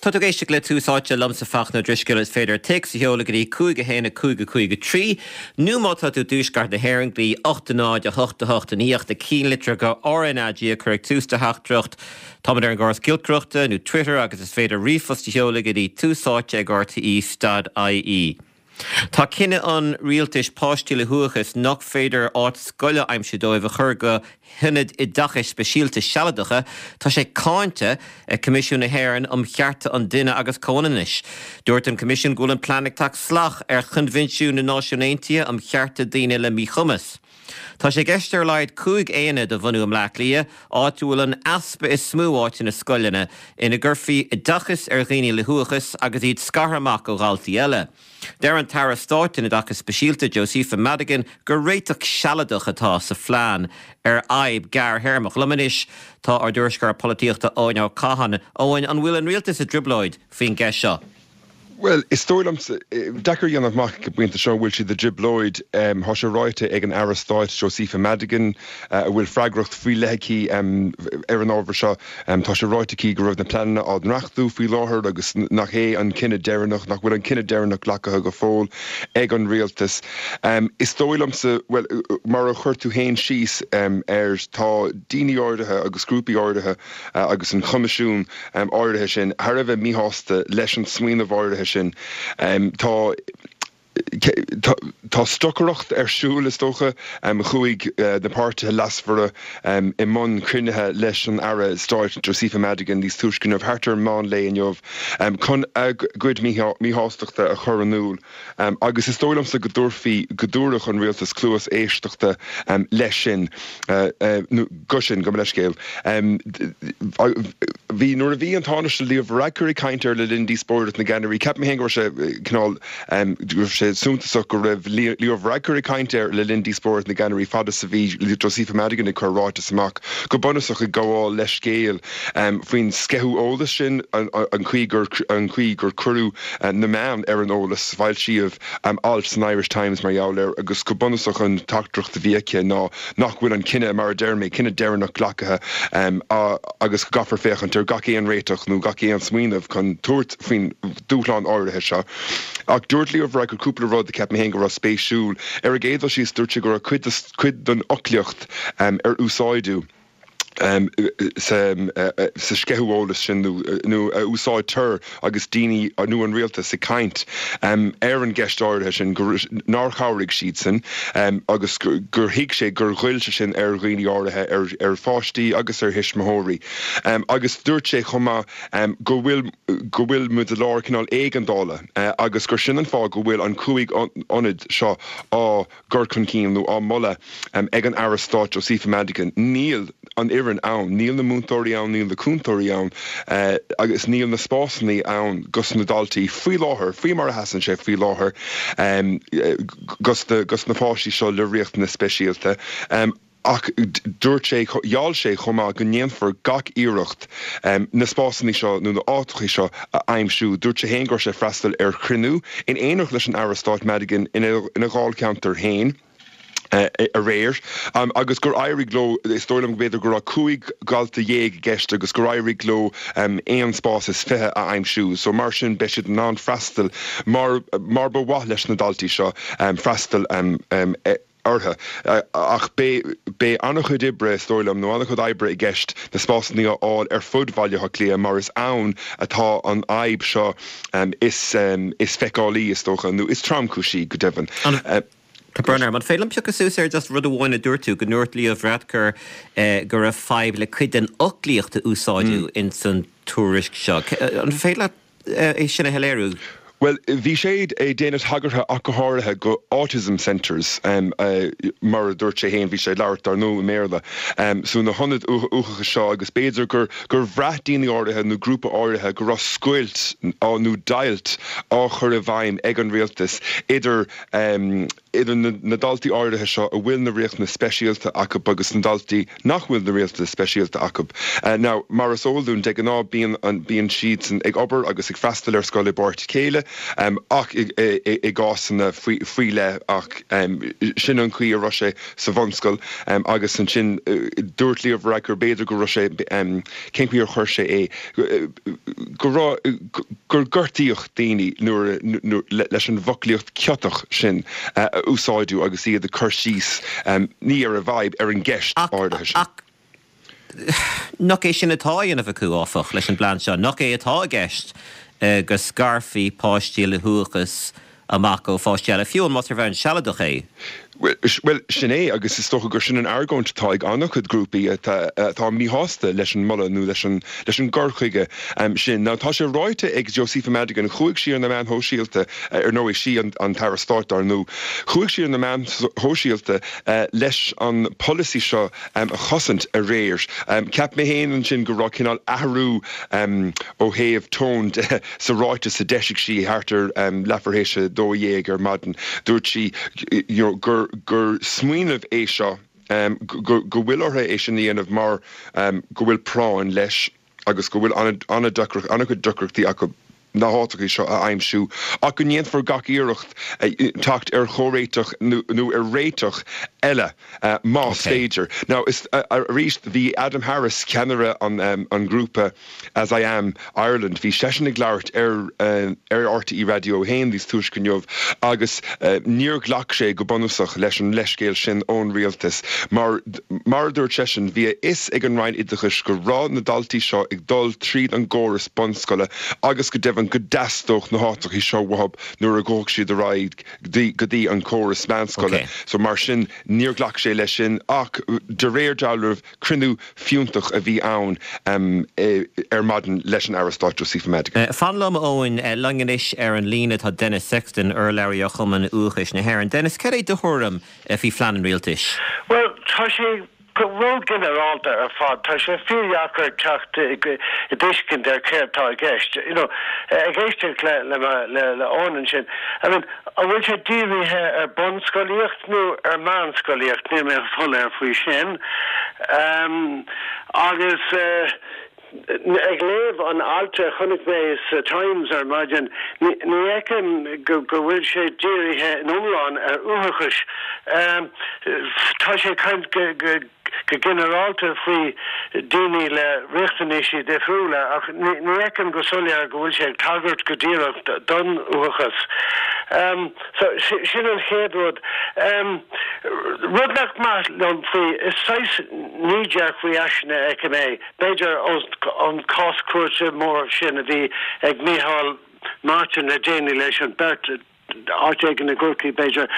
Tá tú ag éisteacht le Tús Áite liomsa Fachtna Ó Drisceoil. Is féidir téacs a sheoladh go dtí 5 1 5 5 3 nó má tá tú i dtuaisceart na hÉireann go dtí 8 0 8 8 i ndiaidh do chinnlitreacha RnaG a chur ag tús do theachtaireacht. Táimid ar an gcóras giolcaireachta nó Twitter agus is féidir ríomhphost a sheoladh go dtí túsáite ag rte stad ie. Tá cinneadh an rialtais páistí le huathachas nach féidir áit scoile a aimsiú dóibh a chur go hionaid oideachais speisialta sealadacha, tá sé cáinte ag Coimisiún na hÉireann um Chearta an Duine agus Comhionannais. Dúirt an Coimisiún go bhfuil an plean ag teacht salach ar Choinbhinsiún na Náisiún Aontaithe um Chearta Daoine le Míchumas. Tá sé i gceist ar a laghad 5 aonad a bhunú i mBleá Cliath, áit a bhfuil an easpa is mó áiteanna scoileanna, ina gcuirfí oideachas ar dhaoine le huathachas agus iad scartha amach ó dhaltaí eile. Deir an tAire Stáit don Oideachas Speisialta, Josepha Madigan, gur réiteach sealadach atá sa phlean ar fhadhb ghearrthéarmach. Liom anois tá ár dtuairisceoir polaitíochta Eoin Ó Catháin. Eoin, an bhfuil an rialtas i dtrioblóid faoin gceist seo? Bhuel, is dóigh liomsa, deacair a dhéanamh amach ag an bpointe seo an bhfuil siad i dtrioblóid. Tá sé ráite ag an Aire Stáit Josepha Madigan, a bhfuil freagracht faoi leith aici ar an ábhar seo, tá sé ráite aici go raibh na pleananna á ndreachtú faoi láthair agus nach é an cinneadh deireanach, nach bhfuil an cinneadh deireanach glactha go fóill ag an rialtas. Is dóigh liomsa, bhuel, mar a chuir tú féin síos air, tá daoine áirithe agus grúpaí áirithe agus an Coimisiún áirithe sin thar a bheith míshásta leis an smaoineamh áirithe sin. Tá Tá stocaireacht ar siúl, is dócha. Chuaigh na páirtithe leasmhara i mbun cruinnithe leis an Aire Stáit Josepha Madigan níos túisce inniu, thart ar mheán lae inniu, chun a gcuid míshástachta a chur in iúl. Agus is dóigh liomsa go dtabharfaí, go dtabharfadh an rialtas cluas éisteachta leis sin, nó go sin, gabh mo leithscéal. Bhí, nuair a bhí an Tánaiste Leo Varadkar ag caint air le linn díospóireacht na gceannairí, ceapaim féin go raibh sé cineál, go raibh sé suntasach go raibh Leo Varadkar ag caint air le linn díospóireacht na gceannairí fad is a bhí Josepha Madigan ag cur ráiteas amach, go bunúsach ag gabháil leithscéil faoin sceitheadh eolais sin, an chaoi gur, an chaoi gur cuireadh na meáin ar an eolas. Foilsíodh alt san Irish Times mar gheall air agus go bunúsach an teachtaireacht a bhí aici ná nach bhfuil an cinneadh, mar a deir mé, cinneadh deireanach glactha agus go gcaithfear féachaint ar gach aon réiteach nó gach aon smaoineamh chun tabhairt faoin dúshlán áirithe seo. Ach dúirt Leo Varadkar cúpla rud a cheap mé féin go raibh spéisiúil. Ar an gcéad dul síos, dúirt sé go raibh cuid den fhoclaíocht ar úsáideadh, sa sceitheadh eolais sin nó a úsáidtear agus daoine nó an rialtas ag caint ar an gceist áirithe sin, nár chabhraigh siadsan agus gur thuig sé gur ghoill sé sin ar dhaoine áirithe, ar pháistí agus ar thuismitheoirí. Agus dúirt sé chomh maith go bhfuil go bhfuil muid i lár cineál éigeandála agus gur sin an fáth go bhfuil an chúig ionad seo á gcur chun cinn nó á moladh ag an Aire Stáit Josepha Madigan. Níl an fhoireann ann, níl na múinteoirí ann, níl na cúntóirí ann agus níl na spásanna ann dos na daltaí faoi láthair, faoi mar a sheasann sé faoi láthair, dos na páistí seo le riachtanais speisialta. Ach dúirt sé, gheall sé chomh maith go ndéanfar gach iarracht na spásanna seo nó na áiteacha seo a aimsiú. Dúirt sé féin go raibh sé ag freastal ar chruinniú in éineacht leis an Aire Stáit Madigan ina dháilcheantar féin aréir agus gur éirigh leo, is dóigh liom go b'fhéidir go raibh 15 dhalta i gceist agus gur éirigh leo aon spás is 20 a aimsiú. So mar sin beidh siad in ann freastal mar mar ba mhaith leis na daltaí seo freastal orthu. Ach beidh an-chuid oibre, is dóigh liom, nó an-chuid oibre i gceist na spásanna a fháil ar fud Bhaile Átha Cliath mar is ann atá an fhadhb seo is feiceálaí, is dócha, nó is tromchúisí, go deimhin. Tá brón orm. An féidir liom piocadh suas ar just rud amháin a dúirt tú, go ndúirt Leo Varadkar go raibh fadhb le cuid den fhoclaíocht a úsáideadh ins an tuairisc seo. An féidir leat é sin a shoiléiriú? Bhuel, bhí sé ag déanamh tagartha ach go háirithe go autism centres, mar a dúirt sé féin, bhí sé ag labhairt dar ndóigh i mBéarla, so na hionaid uathachais seo agus b'fhéidir gur gur bhraith daoine áirithe nó grúpa áirithe go raibh scoilt nó deighilt á chur i bhfeidhm ag an rialtas idir idir na daltaí áirithe seo a bhfuil na riachtanais speisialta acu agus na daltaí nach bhfuil na riachtanais speisialta acu. Now, mar is eol dúinn, de ghnáth bíonn an, bíonn siadsan ag obair agus ag freastal ar scoil i bpáirt a chéile. ach i gcásanna faoi leith ach sin an chaoi a raibh sé sa bhunscoil agus ansin dúirt Leo Varadkar b'fhéidir go raibh sé, cén chaoi ar chuir sé é, go raibh, gur gortaíodh daoine nuair, leis an bhfoclaíocht ciotach sin a úsáideadh agus iad ag cur síos, ní ar an bhfadhb, ar an gceist áirithe sin. Ach nach é sin atá á dhéanamh acu, áfach, leis an bplean seo? Nach é atá i gceist go scarfaí páistí le huathachas amach ó pháistí eile, fiú más ar bhonn sealadach é? Bhuel, sin é, agus is dócha gur sin an argóint atá ag an-chuid grúpaí atá míshásta leis an moladh nó leis an leis an gcur chuige sin. Now, tá sé ráite ag Josepha Madigan, chuaigh sí ar na meáin shóisialta, ar ndóigh, sí an tAire Stáit dar ndóigh, chuaigh sí ar na meáin shóisialta leis an polasaí seo a chosaint aréir. Cheap mé féin ansin go raibh cineál athrú ó thaobh tóin de sa ráiteas a d'eisigh sí thart ar leathuair théis a 12 ar maidin. Dúirt sí you know gur gur smaoineamh é seo go go bhfuil orthu é sin a dhéanamh mar go bhfuil práinn leis agus go bhfuil an-chuid deacrachtaí acu na háiteacha seo a aimsiú ach go ndéanfar gach iarracht teacht ar chomhréiteach nó ar réiteach eile más féidir. Now is arís bhí Adam Harris, ceannaire an ghrúpa As I Am Ireland, bhí seisean ag labhairt ar ar RTÉ Raidió 1 níos túisce inniu agus níor ghlac sé go bunúsach leis an leithscéal sin ón rialtas mar, mar a dúirt seisean, bhí a fhios ag an Roinn Oideachais go raibh na daltaí seo ag dul tríd an gcóras bunscoile agus go deimhin go dteastódh na háiteacha seo uathu nuair a ghabhfadh siad ar aghaidh go dtí an córas meánscoile. So mar sin níor ghlac sé leis sin ach de réir dealraimh cruinniú fiúntach a bhí ann ar maidin leis an Aire Stáit Josepha Madigan. Fan liom, Eoin. Linn anois ar an líne tá Denis Sexton, urlabhraí ó Chumann Uathachais na hÉireann. Denis, cad é do thuairim faoi phlean an rialtais? Bhuel, tá sé ró-ghinearálta ar fad. Tá sé fíordheacair teacht i dtuiscint ar céard tá i gceist. You know, ag éisteacht le le Eoin ansin, I mean, an bhfuil sé dírithe ar bunscolaíocht nó ar meánscolaíocht? Níl mé soiléir faoi sin. Agus ag léamh an ailt a chonaic mé sa Times ar maidin, ní fheicim go bhfuil sé dírithe in iomlán ar uathachas. Tá sé ag caint go ginearálta faoi daoine le riachtanaisí difriúla ach ní fheicim go soiléir go bhfuil sé ag tagairt go díreach don uathachas. So, sin an chéad rud. Rud nach maith liom faoi, is saghas knee-jerk reaction a fheicim é, b'fhéidir ón cás cúirte mór sin a bhí ag Micheál Martin le déanaí leis an beirt, áit éigin i gCorcaigh b'fhéidir.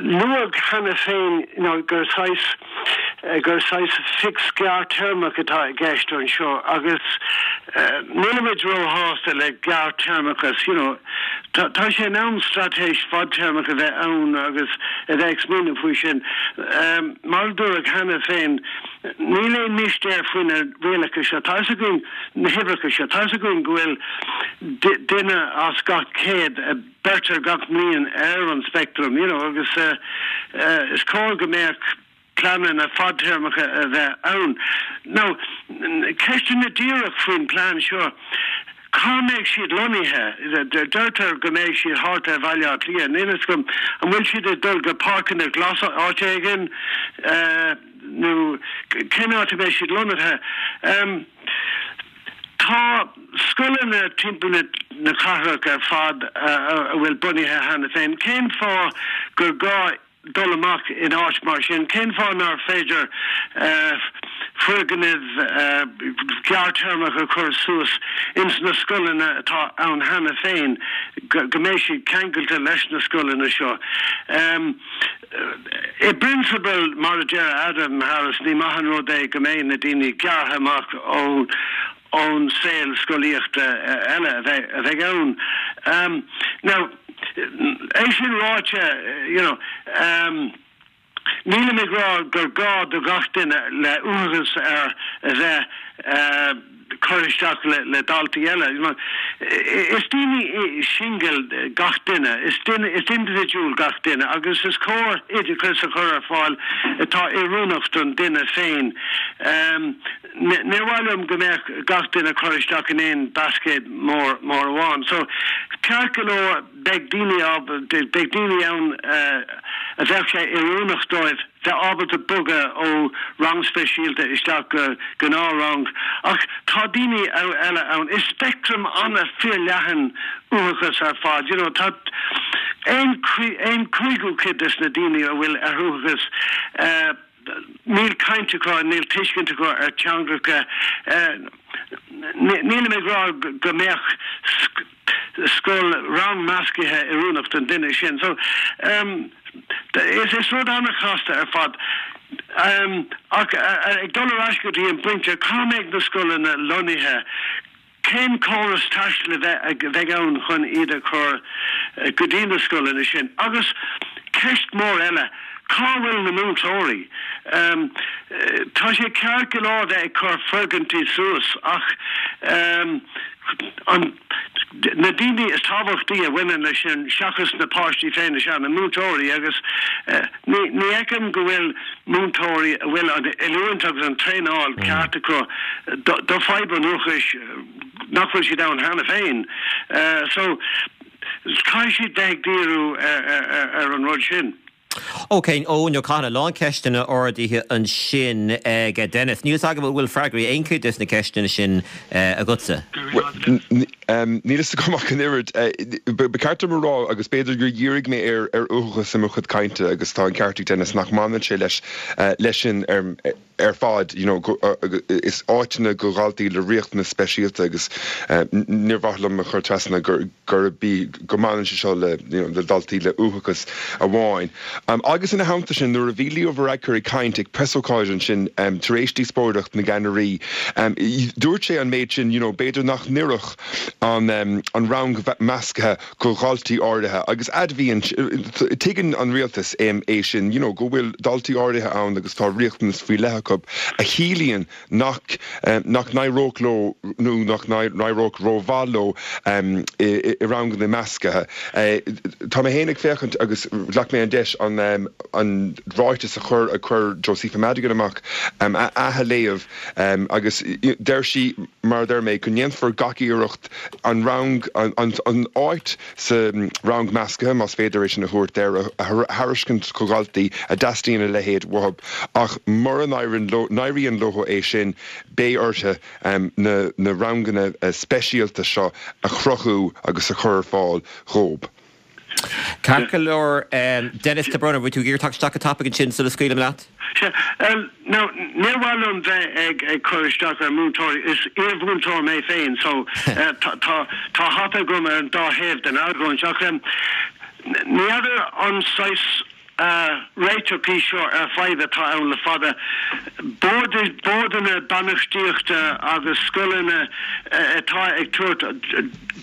Luadh cheana féin gur saghas gur saghas fix gearrthéarmach atá i gceist anseo agus nílimid róshásta le gearrthéarmachas, you know. Tá sé in am straitéis fadtéarmach a bheith ann agus a bheith ag smaoineamh faoi sin. Mar a dúradh cheana féin, níl aon mistéir faoi na rialacha seo. Tá fhios againn na huimhreacha seo. Tá fhios againn go bhfuil duine as gach 100 a beirtear gach mbliain ar an speictream, you know, agus is cóir go mbeadh pleananna fadtéarmacha a bheith ann. Now, ceisteanna díreach faoin bplean seo, cá mbeidh siad lonnaithe? Deirtear go mbeidh siad thart ar Bhaile Átha Cliath. Níl fhios agam, an bhfuil siad ag dul go páirceanna glasa áit éigin nó cén áit a mbeidh siad lonnaithe? Tá scoileanna timpeall na cathrach ar fad a bhfuil bunaithe cheana féin. Cén fáth gur gá dul amach in áit mar sin? Cén fáth nár féidir foirgnimh ghearrthéarmach a chur suas ins na scoileanna atá ann cheana féin, go mbeidh siad ceangailte leis na scoileanna seo? I bprionsabal, mar a deir Adam Harris, ní maith an rud é go mbeidh na daoine gearrtha amach ón saol scolaíochta eile a bheidh ann. Now, é sin ráite, you know. Nílim ag rá gur gá do gach duine le uathachas air a bheith curtha isteach le daltaí eile. Is daoine singil gach duine, is duine, is indibhidiúil gach duine agus is cóir oideachas a chur ar fáil atá oiriúnach don duine féin. Níor mhaith liom go mbeadh gach duine curtha isteach in aon basket mór mór amháin. So, ceart go leor, beidh daoine beidh daoine ann a bheadh sé oiriúnach dóibh bheith ábalta bogadh ó rang speisialta isteach go gnáthrang ach tá daoine eile ann. Is speictream an-fhíorleathan uathachas ar fad, you know, tá aon aon cúigiú cuid des na daoine a bhfuil ar uathachas, Níl caint acu, níl tuiscint acu ar teangacha. Nílim ag rá go mbeadh scoil rang meascaithe oiriúnach don duine sin. So, is rud an-chasta ar fad. Ach ag dul ar ais go dtí an pointe, cá mbeidh na scoileanna lonnaithe? Cén córas taistil a bheidh ann chun iad a chur go dtí na scoileanna sin? Agus ceist mhór eile, cá bhfuil na múinteoirí? Tá sé ceart go leor bheith ag cur foirgintí suas ach an na daoine is tábhachtaí a bhaineann leis sin seachas na páistí féin is ea na múinteoirí agus ní fheicim go bhfuil múinteoirí a bhfuil an oiliúint agus an traenáil ceart acu do fadhb an uathachais nach bhfuil siad ann cheana féin. So, caithfidh siad bheith ag díriú ar an rud sin. Ok, Eoin Ó Catháin, a lán ceisteanna ardaithe ansin ag Denis. Níl 'fhios agam an bhfuil freagraí aon chuid des na ceisteanna sin agatsa. Níl fhios agam ach an oiread. Ba cheart dom a rá, agus b'fhéidir gur dhírigh mé ar uathachas i mo chuid cainte, agus tá an ceart ag Denis nach mbaineann sé leis leis sin ar fad, you know, is áiteanna do dhaltaí le riachtanais speisialta agus níor mhaith liom a chur trasna gurb í go mbaineann sé seo le you know le daltaí le uathachas amháin. Agus ina theannta sin, nuair a bhí Leo Varadkar ag caint ag preasócáid ansin tar éis díospóireacht na gceannairí, dúirt sé an méid sin, you know, b'fhéidir nach n-oirfeadh an an rang measctha do dhaltaí áirithe agus admhaíonn, tuigeann an rialtas é sin, you know, go bhfuil daltaí áirithe ann agus tá riachtanas faoi leith acu a chiallaíonn nach nach n-éireodh leo nó nach n-éireodh rómhaith leo i ranganna measctha. Tá mé féin ag féachaint agus ghlac mé an deis an an ráiteas a chuir a chuir Josepha Madigan amach a athléamh agus deir sí, mar a deir mé, go ndéanfar gach iarracht an rang an an áit sa rang measctha, más féidir é sin a thabhairt air, a thairiscint do dhaltaí a dteastaíonn a leithéid uathu, ach mura n-éiríonn leo é sin, beidh orthu na ranganna speisialta seo a chruthú agus a chur ar fáil dhóibh. Ceart go leor, Denis de Brún, an bhfuil tú ag iarraidh teacht isteach go tapaidh ansin sula scaoilim leat? Sea, now, níor mhaith liom bheith ag ag cur isteach ar mhúinteoirí, is iar-mhúinteoir mé féin so tá tá hata agam ar an dá thaobh den argóint ach ní fheadar an saghas réiteach í seo ar fadhb atá ann le fada. Boird, boird bainistíochta agus scoileanna atá ag tabhairt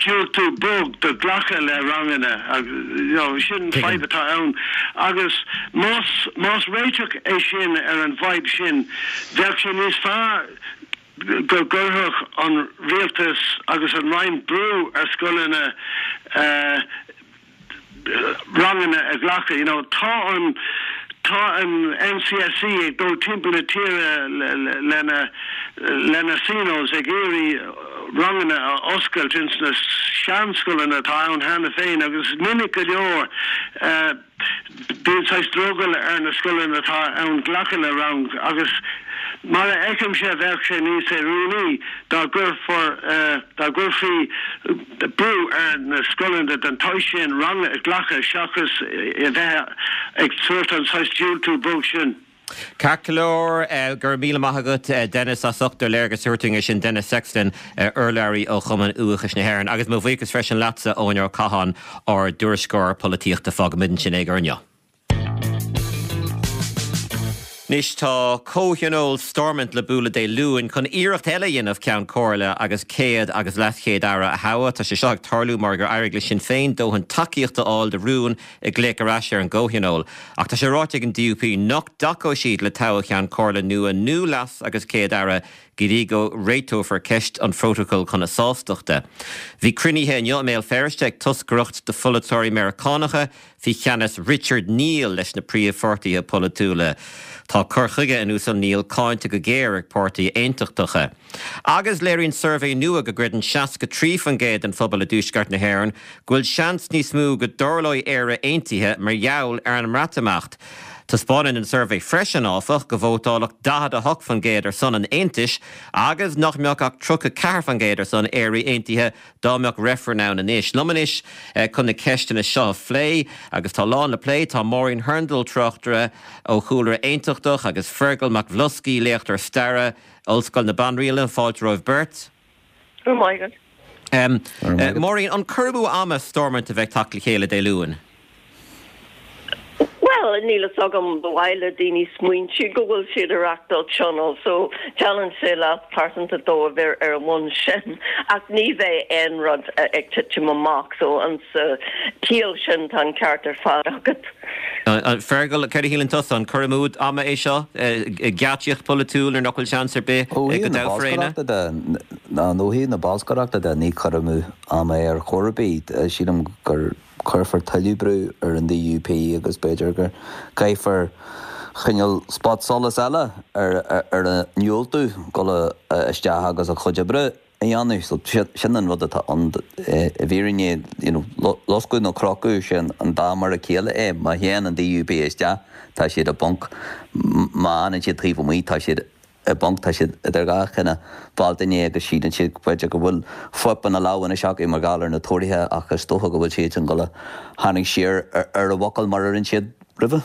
diúltú bog do glacadh le ranganna, you know, sin fadhb atá ann agus más, más réiteach é sin ar an bhfadhb sin, bheadh sé níos fearr go gcuirfeadh an rialtas agus an Roinn brú ar scoileanna ranganna a ghlacadh. You know, tá an, tá an NCSE ag dul timpeall na tíre lena, lena SENOs ag iarraidh ranganna a oscailt ins na seanscoileanna atá ann cheana féin agus minic go leor Bíonn saghas drogall ar na scoileanna atá ann glacadh le rang agus mar a fheicimse bheadh sé níos oiriúnaí dá gcuirfear, dá gcuirfí brú ar na scoileanna den tsaghas sin rang a ghlacadh seachas a bheith ag tabhairt an saghas diúltú bog sin. Ceart go leor, go raibh míle maith agat Denis as ucht do léargas a thabhairt dúinn air sin, Denis Sexton, urlabhraí ó Chumann Uathachais na hÉireann. Agus mo bhuíochas freisin leatsa, Eoin Ó Catháin, ár dtuairisceoir polaitíochta. Fágfaimid ansin é do inniu. Anois tá Comhthionól Stormont le bualadh Dé Luain chun iarracht eile a dhéanamh Ceann Comhairle agus Céad agus LeasChéad Aire a thoghadh. Tá sé seo ag tarlú mar gur éirigh le Sinn Féin dóthain tacaíochta a fháil do rún ag glaoch ar ais ar an gComhthionól. Ach tá sé ráite ag an DUP nach dtacóidh siad le toghadh Cheann Comhairle nua nó Leas agus Céad Aire go dtí go réiteofar ceist an phrótacail chun a sástachta. Bhí cruinnithe inniu i mBéal Feirste ag toscaireacht de pholaiteoirí Meiriceánacha faoi cheannas Richard Neal leis na príomhpháirtithe polaitiúla. Tá cur chuige an Uasail Neal cáinte go géar ag páirtithe aontachtacha. Agus léiríonn suirbhé nua go gcreideann 63% den phobal i dTuaisceart na hÉireann go bhfuil seans níos mó go dtarlóidh Éire aontaithe mar gheall ar an mBreatimeacht. Taispeánann an suirbhé freisin, áfach, go vótálfadh 48% ar son an aontais agus nach mbeadh ach 34% ar son Éire aontaithe dá mbeadh reifreann ann anois. Liom anois chun na ceisteanna seo a phlé, agus tá a lán le plé, tá Máirín Hurndall, tráchtaire ó chúlra aontachtach, agus Fergal Mac Bhloscaidh, léachtóir staire, Ollscoil na Banríona. Fáilte romhaibh beirt. Go raibh maith agat. Máirín, an cur amú ama Stormont a bheith ag teacht le chéile Dé Luain? Bhuel, níl fhios agam, ba mhaith le daoine smaointiú go bhfuil siad ag reachtáil tionól so déanann sé leas pearsanta dóibh ar ar an bhonn sin ach ní bheidh aon rud ag titim amach so an sa chiall sin tá an ceart ar fad agat. Fergal, céard a shíleann tusa, an cur amú ama é seo, geáitsíocht pholaitiúil nuair nach bhfuil seans ar bith Ó go thaobh na dtoghfar éinne? bolscaireachta de, nó ó thaobh na bolscaireachta de, ní cur amú ama é ar chor ar bith. Sílim gur cuirfear tuilleadh brú ar an DUP agus b'fhéidir go gcaithfear cineál spot solais eile ar ar a ndiúltú dul isteach agus a chuid oibre a dhéanamh. So sin an rud atá ann i bhfírinne, you know, loscadh nó crochadh, sé an dá mar a chéile é. Má théann an DUP isteach, tá siad i bponc. Má fhanann siad taobh amuigh, tá siad i bponc. Tá siad idir dhá thine Bhealtaine agus síleann siad b'fhéidir go bhfuil fuip ina lámh anois acu mar gheall ar na Tóraithe ach is dócha go bhfuil siadsan ag dul a tharraingt siar ar a bhfocal mar a rinne siad roimhe.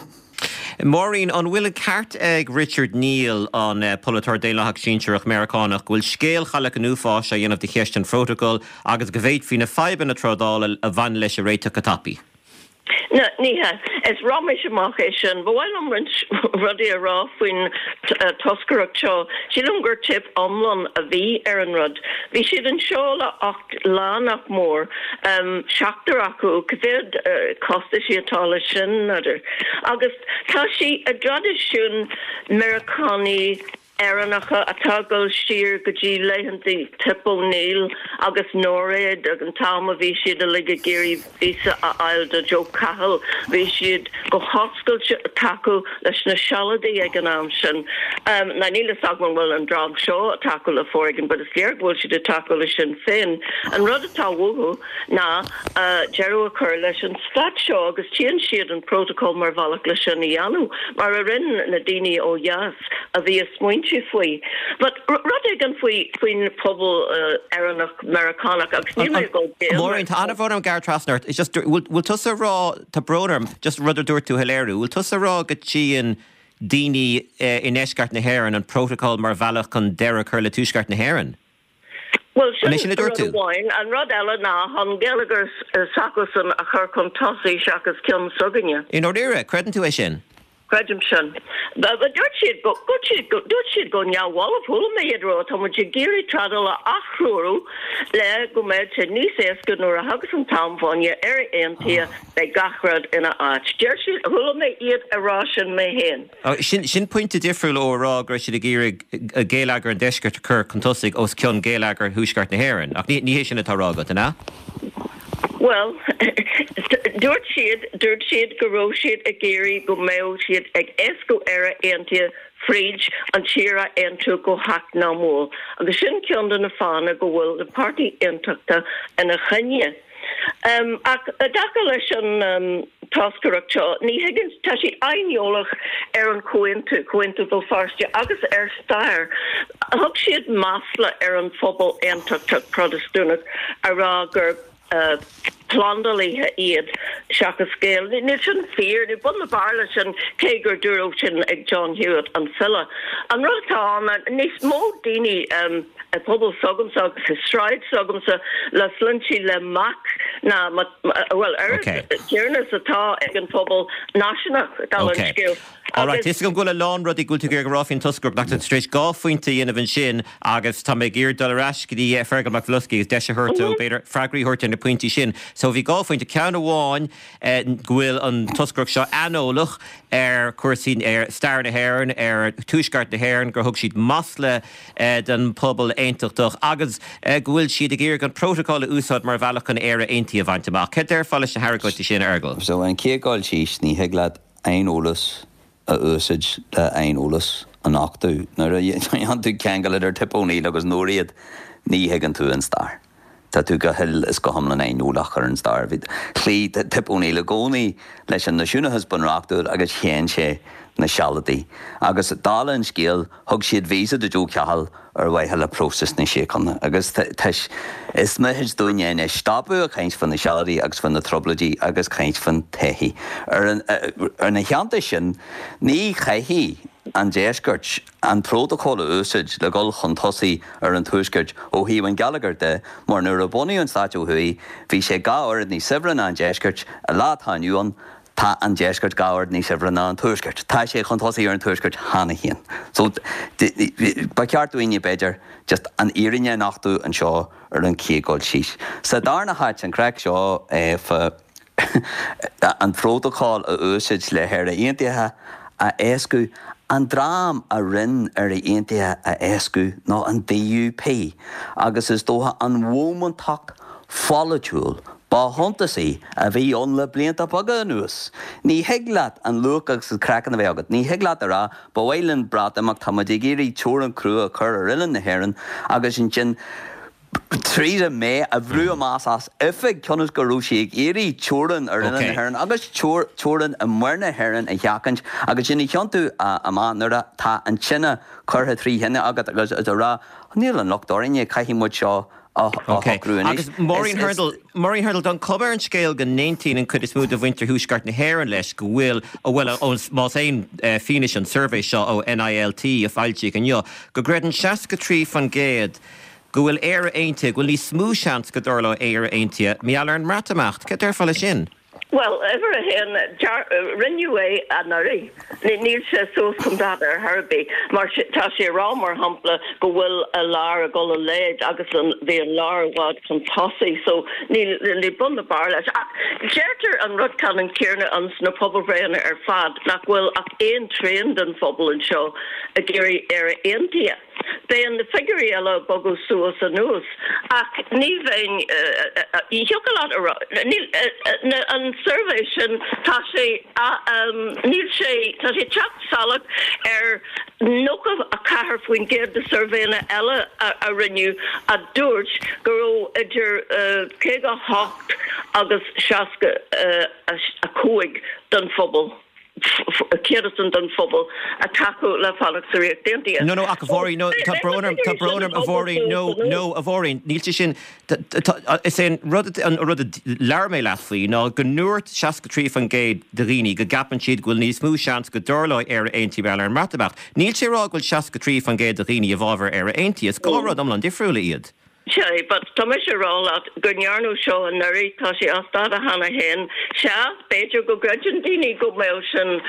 Máirín, an bhfuil an ceart ag Richard Neal, an polaiteoir Daonlathach sinsearach Meiriceánach, go bhfuil scéal Chailleach an Uafáis á dhéanamh de cheist an phrótacail agus go bhféadfaí na fadhbanna trádála a bhaineann leis a réiteach go tapaidh? Ní hea. Is raiméis amach é sin. Ba mhaith liom roinnt rudaí a rá faoin toscaireacht seo. Sílim gur teip iomlán a bhí ar an rud. Bhí siad anseo le 8 lá nach mór, seachtar acu, cá mhéad costaisí atá leis sin, n'fheadar. Agus tá sé i dtraidisiún Meiriceánaigh Éireannacha atá ag dul siar go dtí laethanta Tip O'Neill agus Norad ag an t-am a bhí siad uilig ag iarraidh víosa a fháil do Joe Cahill. Bhí siad go hoscailte ag tacú leis na Sealadaigh ag an am sin. Now níl fhios agam an bhfuil an dream seo ag tacú le foréigean but is léir go bhfuil siad ag tacú le Sinn Féin. An rud atá uathu ná deireadh a chur leis an stát seo agus tchíonn siad an protocol mar bhealach le sin a dhéanamh mar a rinne na daoine ó dheas. a bhí ag smaointiú faoi. But rud éigin faoi faoin phobal Éireannach Meiriceánach agus níl mé ag dul béim Máirín, tá an-bhrón orm gearradh trasna ort. It's just, bhfuil tusa ag rá, tá brón orm, just rud a dúirt tú a shoiléiriú, bhfuil tusa ag rá go dtchíonn daoine i ndeisceart na hÉireann an protocol mar bhealach chun deireadh a chur le tuaisceart na hÉireann? Bhuel, An é sin sin a dúirt rud tú? amháin. An rud eile ná an geilleagar s'acusan a chur chun tosaigh seachas ceann s'againne. I ndáiríre, creideann tú é sin? Creidim sin. Dúirt siad go, dúirt siad go, dúirt siad go neamhbhalbh, chuala mé iad ag rá, tá muid ag iarraidh trádáil a aththreorú le go mbeidh sé níos éasca nuair a thagas an t-am fá choinne Éire Aontaithe, beidh gach rud ina áit. Deir siad, chuala mé iad ag rá sin mé féin. Sin, sin pointe difriúil ó a rá go raibh siad ag iarraidh geilleagar an deiscirt a chur chun tosaigh os cionn geilleagar thuaisceart na hÉireann. Ach ní, ní hé sin atá á rá agat, an ea? Bhuel, dúirt siad, dúirt siad go raibh siad ag iarraidh go mbeadh siad ag éascú Éire Aontaithe fríd an tír a aontú go heacnamúil. Agus sin ceann de na fáthanna go bhfuil na páirtí aontachtach ina choinne. Ach i dtaca leis an toscaireacht seo, ní thuigeann, tá siad aineolach ar an chomhaontú, Comhaontú Bhéal Feirste, agus ar stair. Thug siad masla ar an phobal aontachtach Protastúnach a rá gur plandálaithe iad. seachas Gael. Níl sin fíor, níl bun ná barr leis sin, cé gur dúradh sin ag John Hewitt, an file. An rud atá ann ná níos mó daoine i bpobal s'agamsa agus i sráid s'agamsa le sloinnte le Mac ná, bhuel, oiread tiarnas atá ag an phobal náisiúnach, dála an scéil. Alright, tá 'fhios agam go bhfuil a lán rudaí go bhfuil tú ag iarraidh a rá faoin toscaireacht ach tá tú tar éis 2 phointe a dhéanamh ansin agus tá mé ag iarraidh dul ar ais go dtí Fergal Mac Bhloscaidh agus deis a thabhairt dó b'fhéidir freagraí a thabhairt ar na pointí sin. So bhí 2 phointe, ceann amháin go bhfuil an toscaireacht seo aineolach ar chúrsaí, ar stair na hÉireann, ar Tuaisceart na hÉireann, gur thug siad masla don phobal aontachtach agus go bhfuil siad ag iarraidh an prótacal a úsáid mar bhealach chun Éire Aontaithe a bhaint amach. Cad déarfá leis na hargóintí sin, a Fheargail? So an chéad dul síos, ní thig leat aineolas a úsáid le aineolas a nochtadh. Nuair a dhéanann tú ceangal idir Tip O'Neill agus Nóiréad, ní thuigeann tú an stair. Tá tú go huile is go hiomlán aineolach ar an stair. Bhí, chloígh Tip O'Neill i gcónaí leis an náisiúnachas bunreachtúil agus shéan sé na Sealadaigh. Agus dála an scéil, Thug siad visa do Joe Cahill ar mhaithe le próiseas na síochána agus tá, is mithid dúinne anois stopadh ag caint fá na Sealadaigh agus fá na Trioblóidí agus caint fán todhchaí. Ina theannta sin, ní chaithfidh an Deisceart an prótocól a úsáid le dhul chun tosaigh ar an Tuaisceart ó thaobh an gheilleagair de mar nuair a bunaíodh an stát ó thuaidh bhí sé 2 oiread níos saibhre ná an Deisceart, an lá atá inniu ann. Tá an Deisceart 2 oiread níos saibhre ná an Tuaisceart. Tá sé chun tosaigh ar an Tuaisceart cheana féin. So, ba cheart dúinne, b'fhéidir, just an fhírinne a nochtadh anseo ar an chéad dul síos. Sa darna háit, an craic seo fá an prótocól a úsáid le hÉire Aontaithe a éascú, an dream a rinn Éire Aontaithe a éascú ná an DUP agus is dócha an bhómántacht pholaitiúil ba shuntasaí a bhí ann le blianta beaga anuas. Ní thig leat an luach agus an craiceann a bheith agat. Ní thig leat a rá, ba mhaith linn Breatimeacht, tá muid ag iarraidh teorainn chrua a chur ar oileán na hÉireann agus ansin Theresa May a bhrú amach as oifig cionn is go raibh sí ag iarraidh teorainn ar oileán na hÉireann agus teorainn i muir na hÉireann a sheachaint agus sin a thiontú amach nuair atá an tine curtha trí thine agat agus a rá níl an locht orainne, caithfidh muid seo a shocrú anois. Agus Máirín Hurndall, Máirín Hurndall, tá an chuma ar an scéal go n-aontaíonn an chuid is mó de mhuintir Thuaisceart na hÉireann leis go bhfuil, bhuel, más aon fianaise an suirbhé seo ó NILT a foilsíodh inniu, go gcreideann 63% go bhfuil Éire Aontaithe, go bhfuil níos mó seans go dtarlóidh Éire Aontaithe mar gheall ar an mBreatimeacht. Cad déarfá leis sin? Bhuel, uimhir a haon, rinneadh é anuraidh. Níl sé suas chun dáta ar chor ar bith. Mar tá sé ag rá, mar shampla, go bhfuil an lár ag dul i léig agus bhí an lár i bhfad chun tosaigh. So níl bun ná barr leis. Ach deirtear an rud ceannann céanna ins na pobalbhreitheanna ar fad, nach bhfuil ach aon trian den phobal anseo ag iarraidh Éire Aontaithe. Beidh na figiúirí eile ag bogadh suas anuas ach ní bheinn, ní thiocfadh leat a rá, níl, an suirbhé sin, tá sé, níl sé, tá sé ag teacht salach ar 94% de suirbhéanna eile a rinneadh a dúirt go raibh idir 58 agus 65 den phobal. céatadán den phobal ag tacú le fanacht sa Ríocht Aontaithe. No, no, ach a Mháirín, no, tá brón orm, tá brón orm, a Mháirín, no, no, a Mháirín, níl sé sin, is é an rud, an rud a labhair mé leat faoi ná go ndúirt 63% de dhaoine go gceapann siad go bhfuil níos mó seans go dtarlóidh Éire Aontaithe mar gheall ar an mBreatimeacht. Níl sé ag rá go bhfuil 63% de dhaoine i bhfabhar Éire Aontaithe. Is 2 rud iomlán difriúla iad. Sea, but tá mise ag rá leat go ndearnadh seo anuraidh, tá sé as dáta cheana féin. Sea, b'fhéidir go gcreideann daoine go mbeadh sin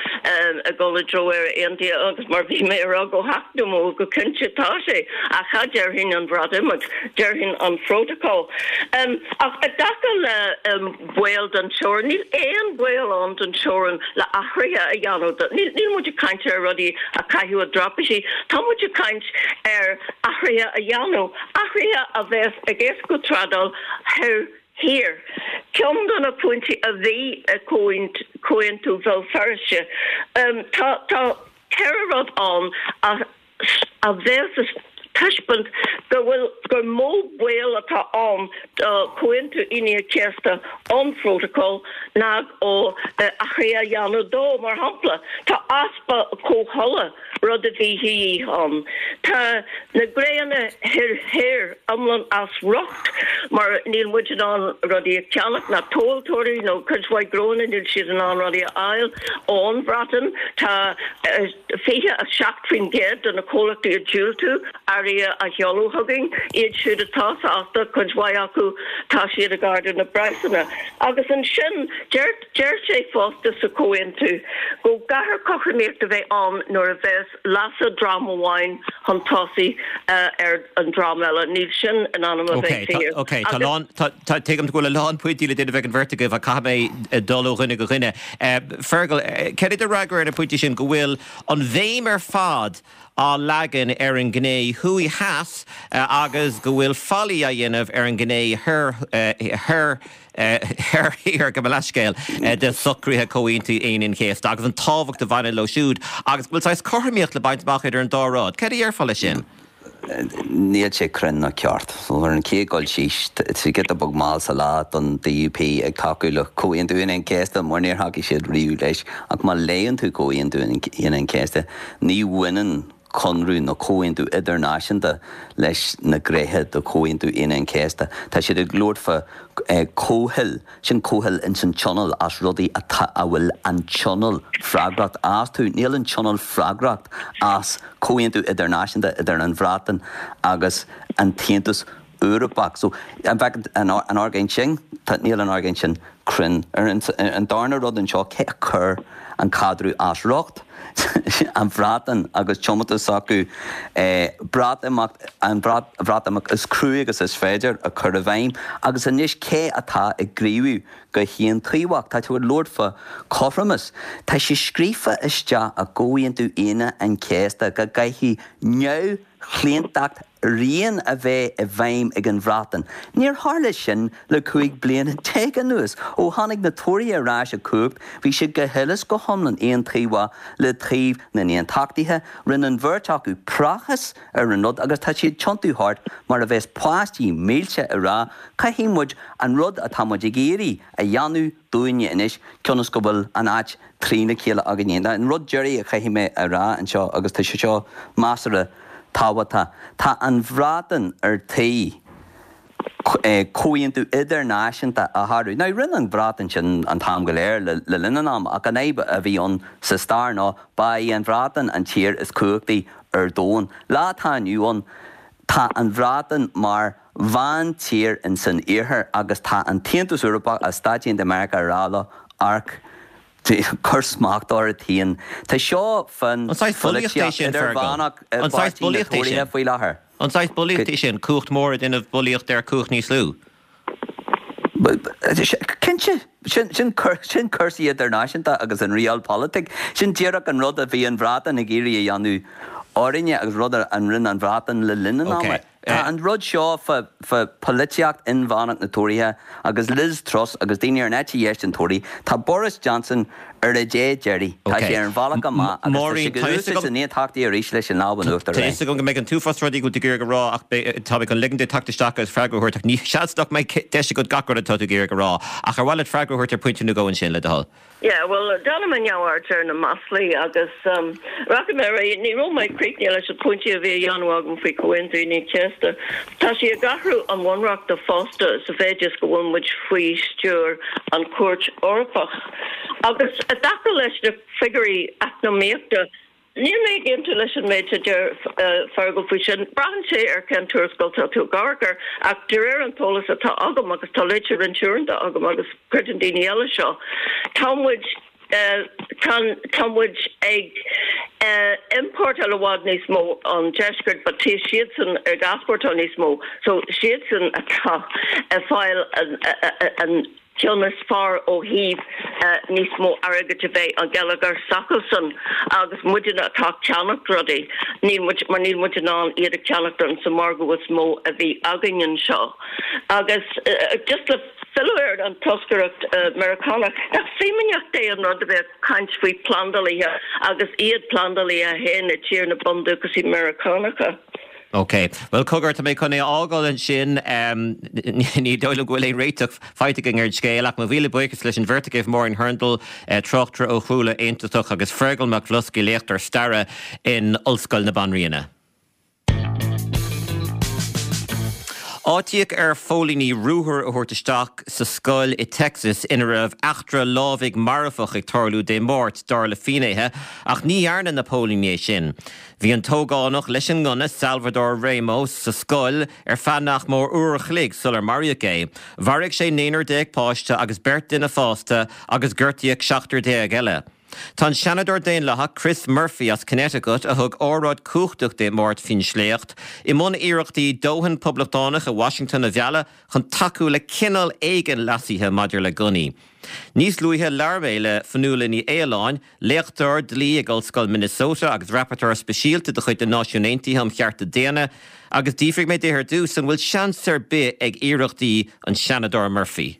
ag dul i dtreo Éire Aontaithe agus mar bhí mé ag rá go heacnamúil go cinnte tá sé, ach cha déarfainn an Bhreatimeacht, déarfainn an Phrótocol. Ach i dtaca le baol don teorainn, níl aon baol ann don teorainn le athruithe a dhéanamh. Níl muid ag caint ar rudaí a chaitheamh i dtraipisí, tá muid ag caint ar athruithe a dhéanamh. Athruithe a bheas ag éascú trádáil thoir thiar. Ceann de na pointí a bhí i gComhaontú Bhéal Feirste. Tá 4 rud ann a bheas ag taispeáint go bhfuil gur mó baol atá ann do Chomhaontú Aoine an Chéasta ón Phrótacal ná ó athruithe a dhéanamh dó. Mar shampla, tá easpa comhthola. rud a bhí de dhíth ann. Tá na gnóanna thoir thoir iomlán as riocht mar níl muid in ann rudaí a cheannach, ná tomhaltóirí nó cuid mhaith gnóanna níl siad in ann rudaí a fháil ón Bhreatain. Tá 27% de na comhlachtaí ag diúltú earraí a sheoladh chugainn. Iad siúd atá sásta, cuid mhaith acu, tá siad ag ardú na bpraghsanna. Agus ansin deir deir sé fosta sa chomhaontú go gcaithfear cothromaíocht a bheith ann nuair a bheas leasa dream amháin chun tosaigh ar an dream eile. Níl sin in ainm a bheith fíor. Ok, tá a lán, tá, tuigim go bhfuil a lán pointí le déanamh ag an bheirt agaibh ach caithfidh mé dul ó dhuine go dhuine. Fergal, cad é do fhreagra ar na pointí sin go bhfuil an bhéim ar fad á leagan ar an ngné thuaidh-theas agus go bhfuil faillí á dhéanamh ar an ngné thoir, thoir, thoir thiar, gabh mo leithscéal, de shocruithe Chomhaontú Aoine an Chéasta agus an tábhacht a bhaineann leo siúd agus go bhfuil saghas cothromaíocht le baint amach idir an dá rud. Cad a déarfá leis sin? Níl sé cruinn ná ceart. Ar an chéad dul síos, tá sé giota beag mall sa lá don DUP ag tacú le Comhaontú Aoine an Chéasta mar níor thacaigh siad riamh leis. Ach má léann tú Comhaontú Aoine an Chéasta, ní bhaineann conradh nó comhaontú idirnáisiúnta leis na gnéithe de Chomhaontú Aoine an Chéasta. Tá siad ag labhairt fá comhthoil, sin comhthoil ins an Tionól as rudaí atá, a bhfuil an Tionól freagrach astu. Níl an Tionól freagrach as comhaontú idirnáisiúnta idir an Bhreatain agus an tAontas Eorpach. So, an bhfeiceann an argóint sin, tá, níl an argóint sin cruinn. Ar an darna rud anseo, cé a chuir an caidreamh as riocht? An Bhreatain agus tiomantas s'acu Breatimeacht, an Bhreatimeacht is crua agus is féidir a chur i bhfeidhm. Agus anois cé atá ag gníomhú go haontaobhach? Tá tú ag labhairt fá chothromas. Tá sé scríofa isteach i gComhaontú Aoine an Chéasta go gcaithfidh neamhchlaontacht rian a bheith i bhfeidhm ag an Bhreatain. Níor tharla sin le 15 bliana anuas. Ó tháinig na Tóraithe ar ais i gcumhacht, bhí siad go huile is go hiomlán aontaobhach le taobh na nAontachtaithe. Rinne an bheirt acu praiseach ar an rud agus tá siad ag tiontú thart mar a bheas páistí milse ag rá, caithfidh muid an rud atá muid ag iarraidh a dhéanamh dúinne anois, cionn is go bhfuil an áit trína chéile againne. An rud deiridh a chaithfidh mé a rá anseo, agus tá sé seo measartha tábhachtach, tá an Bhreatain ar tí comhaontú idirnáisiúnta a shárú. Now, rinne an Bhreatain sin an t-am go léir le linn an ama, ach an fhadhb a bhí ann sa stair ná ba í an Bhreatain an tír is cumhachtaí ar domhan. Lá atá inniu ann, tá an Bhreatain mar mheántír in san iarthar agus tá an tAontas Eorpach agus Stáit Aontaithe Meiriceá ag rá leo, amharc, cuir smacht ort féin. Tá seo fán An saghas bulaíocht é pholaitíocht sin, Fergal? idirmheánach i An saghas bpáirtí na bulaíocht é Tóraithe sin? faoi láthair. An saghas bulaíocht é sin, cumhacht mhór ag déanamh bulaíocht ar chumhacht níos lú? Cinnte. Sin sin cúrsaí idirnáisiúnta agus an realpolitik. Sin díreach an rud a bhí an Bhreatain ag iarraidh a dhéanamh orainne agus rud a rinne an Bhreatain le linn an ama. Tá an rud seo fá pholaitíocht inmheánach na Tóraithe agus Liz Truss agus daoine ar an eite dheis den Tóraí, tá Boris Johnson ar a dé deiridh. Tá sé ar an bhealach amach agus tá sé ag úsáid na nAontachtaithe arís leis an lámh in uachtar Tá a fhios agam go mbeidh an t-uafás rudaí go bhfuil tú ag iarraidh a rá ach tá mé chun ligean duit teacht isteach agus freagra a thabhairt ach ní seans nach mbeidh deis agat gach rud atá tú ag iarraidh a rá. Ach ar mhaith leat freagra a thabhairt ar phointe nó dhó ansin, le do thoil? Yeah, bhuel, déanfaidh mé neamhaird ar na maslaí agus rachaidh mé ar aghaidh. Ní raibh mé críochnaithe leis na pointí a bhí a dhéanamh agam faoi Chomhaontú Aoine an Chéasta. Tá sé ag athrú an bhunreachta fosta sa mhéid is go bhfuil muid faoi stiúir an Chúirt Eorpach. Agus i dtaca leis na figiúirí eacnamaíochta, Níl mé ag aontú leis an méid a deir Fergal faoi sin. Braitheann sé ar cén tuarascáil tá tú ag amharc air, ach de réir an t-eolas atá agam, agus tá léite roinnt uaireanta agam agus creideann daoine eile seo, tá muid tá muid ag iompórtáil i bhfad níos mó ón deisceart but tá siadsan ag easpórtáil níos mó so siadsan atá ag fáil an ceann is fearr ó thaobh níos mó airgid a bheith an geilleagar s'acusan agus muidne atá ag ceannacht rudaí, níl muid, mar níl muid in ann iad a cheannacht in sa margadh is mó a bhí againn anseo. Agus just le filleadh ar an toscaireacht Meiriceánach, nach fímíneacht é an rud a bheith ag caint faoi phlandálaithe agus iad plandálaithe féin i tír na bundúchasaí Meiriceánacha? Ok. Bhuel, cogar, tá mé chun é a fhágáil ansin. Ní dóigh liom go bhfuil aon réiteach faighte againn ar an scéal, ach mo mhíle buíochas leis an bheirt agaibh, Máirín Hurndall, tráchtaire ó chúlra aontachtach, agus Fergal Mac Bhloscaidh, léachtóir staire in Ollscoil na Banríona. Áitíodh ar phóilíní ruathar a thabhairt isteach sa scoil i Texas ina raibh eachtra lámhaigh marfach ag tarlú Dé Máirt, dar le finnéithe, ach ní dhearna na póilíní é sin. Bhí an t-ógánach leis an ngunna, Salvador Ramos, sa scoil ar feadh nach mór uair a chloig sular maraíodh é. Mharaigh sé naonúr déag páiste agus beirt duine fásta agus gortaíodh seachtar déag eile. Tá an Seanadóir Daonlathach Chris Murphy as Connecticut, a thug óráid cumhachtach Dé Máirt faoin sléacht, i mbun iarrachtaí dóthain Poblachtánach i Washington a mhealladh chun tacú le cineál éigin leasaithe maidir le gunnaí. Níos luaithe labhair mé le Fionnuala Ní Aoláin, léachtóir dlí ag Ollscoil Minnesota agus Rapporteur Speisialta de chuid na Náisiún Aontaithe um Chearta Daonna, agus d'fhiafraigh mé di ar dtús an bhfuil seans ar bith ag iarrachtaí an Seanadóir Murphy.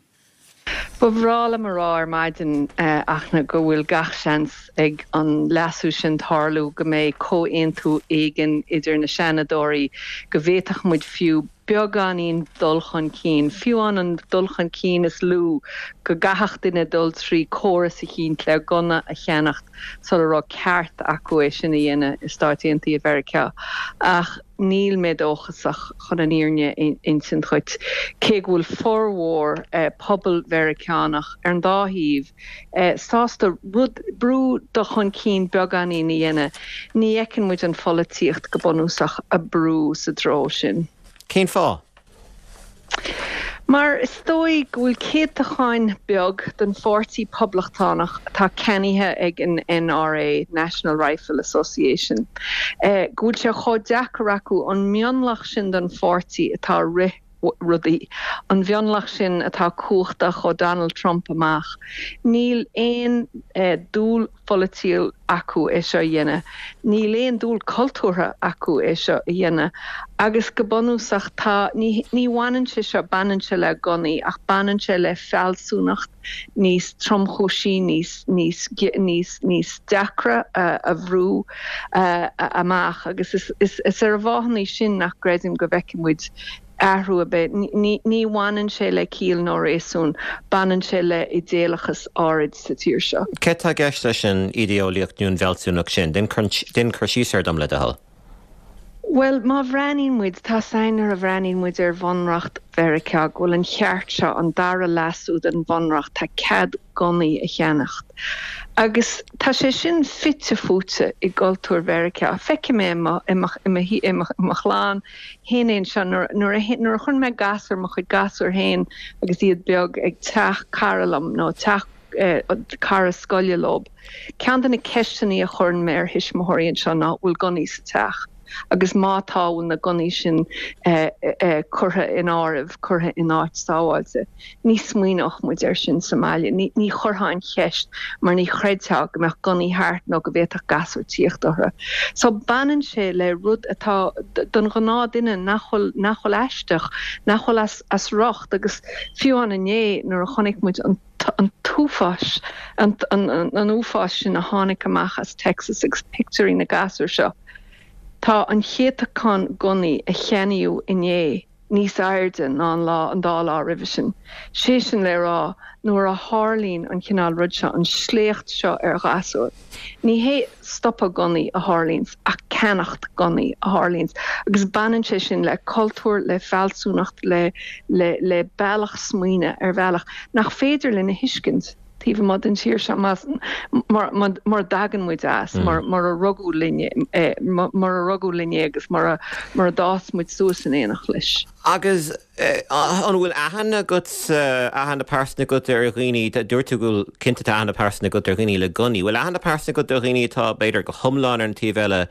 Ba bhreá liom a rá ar maidin, a Fhachtna, go bhfuil gach seans ag an leasú sin tarlú, go mbeidh comhaontú éigin idir na Seanadóirí, go bhféadfadh muid fiú beagáinín dul chun cinn, fiú amháin an dul chun cinn is lú, go gcaithfeadh duine dul trí córas eicínt le gunna a cheannacht sula raibh ceart acu é sin a dhéanamh i Stáit Aontaithe Mheiriceá. Ach. Níl mé dóchasach, chun an fhírinne a insint dhuit, cé go bhfuil formhór pobal Mheiriceánach ar an dá thaobh sásta rud, brú dul chun cinn beagáinín a dhéanamh, ní fheiceann muid an pholaitíocht go bunúsach a brú sa treo sin. Cén fáth? Mar is dóigh go bhfuil céatacháin beag den pháirtí Poblachtánach atá ceannaithe ag an NRA, National Rifle Association, go bhfuil sé chomh deacair acu an mionlach sin den pháirtí atá ag rith rudaí, an mhionlach sin atá cumhachtach ó Donald Trump amach, níl aon dúil pholaitiúil acu é seo a dhéanamh. Níl aon dúil cultúrtha acu é seo a dhéanamh. Agus go bunúsach tá, ní, ní bhaineann sé seo, baineann sé le gunnaí ach baineann sé le fealsúnacht níos tromchúisí, níos, níos, níos, níos deacra a bhrú amach. Agus is, is, is ar an bhfáthanna sin nach gcreidim go bhfeicfidh muid athrú ar bith. Ní bhaineann sé le ciall nó réasún, baineann sé le idéalachas áirid sa tír seo. Céard tá i gceist leis an idé-eolaíocht nó an bhfealsúnacht sin? Déan cur síos air dom, le do thoil. Bhuel, má bhreathnaíonn muid, tá 's againn nuair a bhreathnaíonn muid ar Bhunreacht Mheiriceá go bhfuil an cheart seo, an dara leasú den Bhunreacht, tá cead gunnaí a cheannacht. Agus tá sé sin fite fuaite i gcultúr Mheiriceá. Feicim é i mo, i mo, i mo, i mo chlann, féin anseo nuair a nuair a chuireann mé gasúir, mo chuid gasúr féin agus iad beag ag teach cara liom nó teach cara scoile leob, ceann de na ceisteanna a chuireann mé ar thuismitheoirí anseo ná bhfuil gunnaí sa teach agus má tá bhfuil na gunnaí sin curtha in áireamh, curtha in áit sábháilte. Ní smaoineodh muid air sin sa mbaile. Ní chuirfeá an cheist mar ní chreidfeá go mbeadh gunnaí thart nó go bhféadfadh gasúir tíocht orthu. So baineann sé le rud atá don ghnáth duine nach bhfuil, nach bhfuil aisteach, nach bhfuil as, as riocht agus fiú amháin inné nuair a chonaic muid an an t-uafás, an, an, an uafás sin a tháinig amach as Texas agus pictiúirí na gasúr seo. Tá an céatachán gunnaí a cheannaíodh inné, níos airde ná an lá, an dá lá roimhe sin. Sé sin le rá, nuair a tharlaíonn an cineál rud seo, an sléacht seo ar ghasúir, ní hé stopadh gunnaí a tharlaíonns ach ceannacht gunnaí a tharlaíonns agus baineann sé sin le cultúr, le fealsúnacht, le, le, le bealach smaoine ar bhealach nach féidir linn a thuiscint taobh amuigh den tír seo más, mar, mar, mura dtagann muid as, mar, mura rugadh linn é, mura rugadh linn é agus mura, mura d'fhás muid suas in éineacht leis. Agus an bhfuil aithne agat, aithne pearsanta agat ar dhaoine, dúirt tú go bhfuil, cinnte tá aithne pearsanta agat ar dhaoine le gunnaí, bhfuil aithne pearsanta agat ar dhaoine atá b'fhéidir go hiomlán ar an taobh eile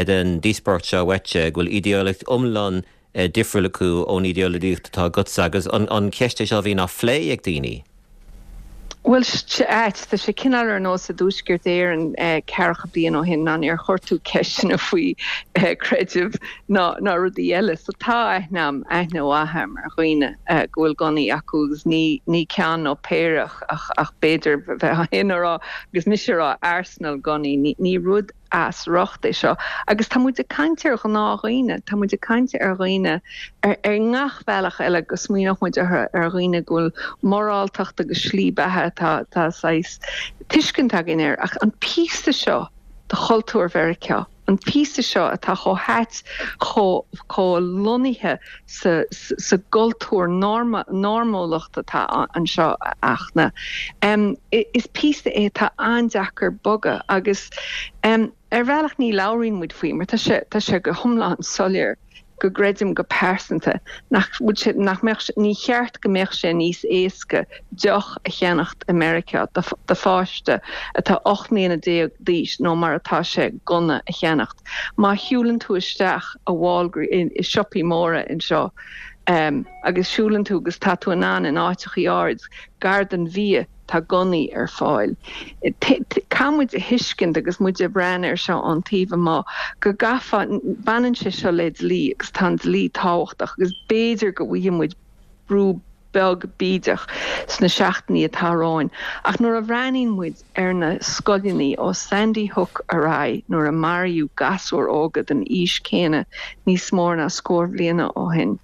den díospóireacht seo uaitse, go bhfuil idéolaíocht iomlán difriúil acu ón idéolaíocht atá agatsa agus an cheist é seo a bhíonn á phlé ag daoine? Bhuel, ait, tá sé cineál ar nós i dTuaisceart Éireann ceathracha bliain ó shin ná níor chuir tú ceisteanna faoi creideamh ná ná rudaí eile. So tá aithne a'm, aithne mhaith a'm ar dhaoine go bhfuil gunnaí acu agus ní ní ceann nó péire ach ach b'fhéidir bheith féin a rá agus mise a rá arsenal gunnaí, ní ní rud. as riocht é seo agus tá muid ag caint ar ghnáthdhaoine, tá muid ag caint ar dhaoine ar ar ngach bealach eile go smaoineodh muid orthu, ar dhaoine go bhfuil moráltacht agus slí beatha atá atá saghas tuiscint againn air ach an píosa seo de chultúr Mheiriceá, an píosa seo atá chomh hait, chomh chomh lonnaithe sa sa gcultúr normúlacht atá anseo a Fhachtna. Is píosa é atá an-deacair bogadh agus ar bhealach ní labhraíonn muid faoi mar tá sé tá sé go hiomlán soiléir go gcreidim go pearsanta nach bhfuil sé nach mbeadh sé ní cheart go mbeadh sé níos éasca deoch a cheannacht i Meiriceá do do pháiste atá 18 mbliana d'aois ná mar atá sé gunna a cheannacht. Má shiúlann tú isteach i Walgreens, i siopaí móra anseo agus siúlann tú agus tá tú in ann in áiteachaí áirid gar don bhia tá gunnaí ar fáil. Caithfidh muid a thuiscint agus muid ag breathnú air seo ón taobh amuigh go gcaithfeá, baineann sé seo le dlí agus tá an dlí tábhachtach agus b'fhéidir go bhfaighidh muid brú beag bídeach sna seachtainí atá romhainn. Ach nuair a bhreathnaíonn muid ar na scoileanna ó Sandy Hook ar aghaidh nuair a maraíodh gasúir óga den aois céanna níos mó ná scór bhliana ó shin,